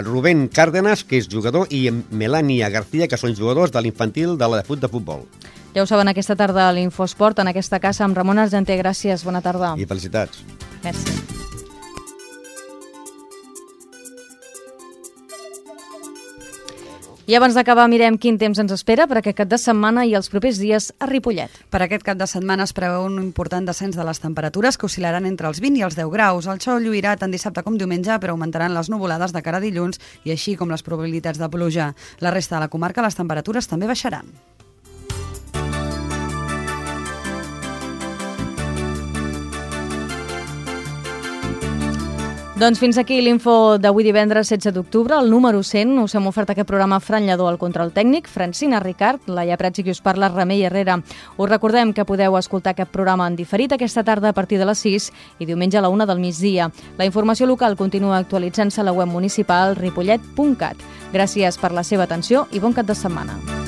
Rubén Cárdenas, que és jugador, i Melania García, que són jugadors de l'infantil de la de futbol. Ja ho saben, aquesta tarda a l'Infosport, en aquesta casa amb Ramon Argenter. Gràcies, bona tarda. I felicitats. Merci. I abans d'acabar mirem quin temps ens espera per aquest cap de setmana i els propers dies a Ripollet. Per aquest cap de setmana es preveu un important descens de les temperatures que oscil·laran entre els 20 i els 10 graus. El sol lluirà tant dissabte com diumenge, però augmentaran les nuvolades de cara a dilluns i així com les probabilitats de pluja. La resta de la comarca les temperatures també baixaran. Doncs fins aquí l'info d'avui divendres 16 d'octubre, el número 100. Us hem ofert aquest programa Fran Lladó al control tècnic, Francina Ricard, Laia Prats i qui us parla, Remei Herrera. Us recordem que podeu escoltar aquest programa en diferit aquesta tarda a partir de les 6 i diumenge a la 1 del migdia. La informació local continua actualitzant-se a la web municipal ripollet.cat. Gràcies per la seva atenció i bon cap de setmana.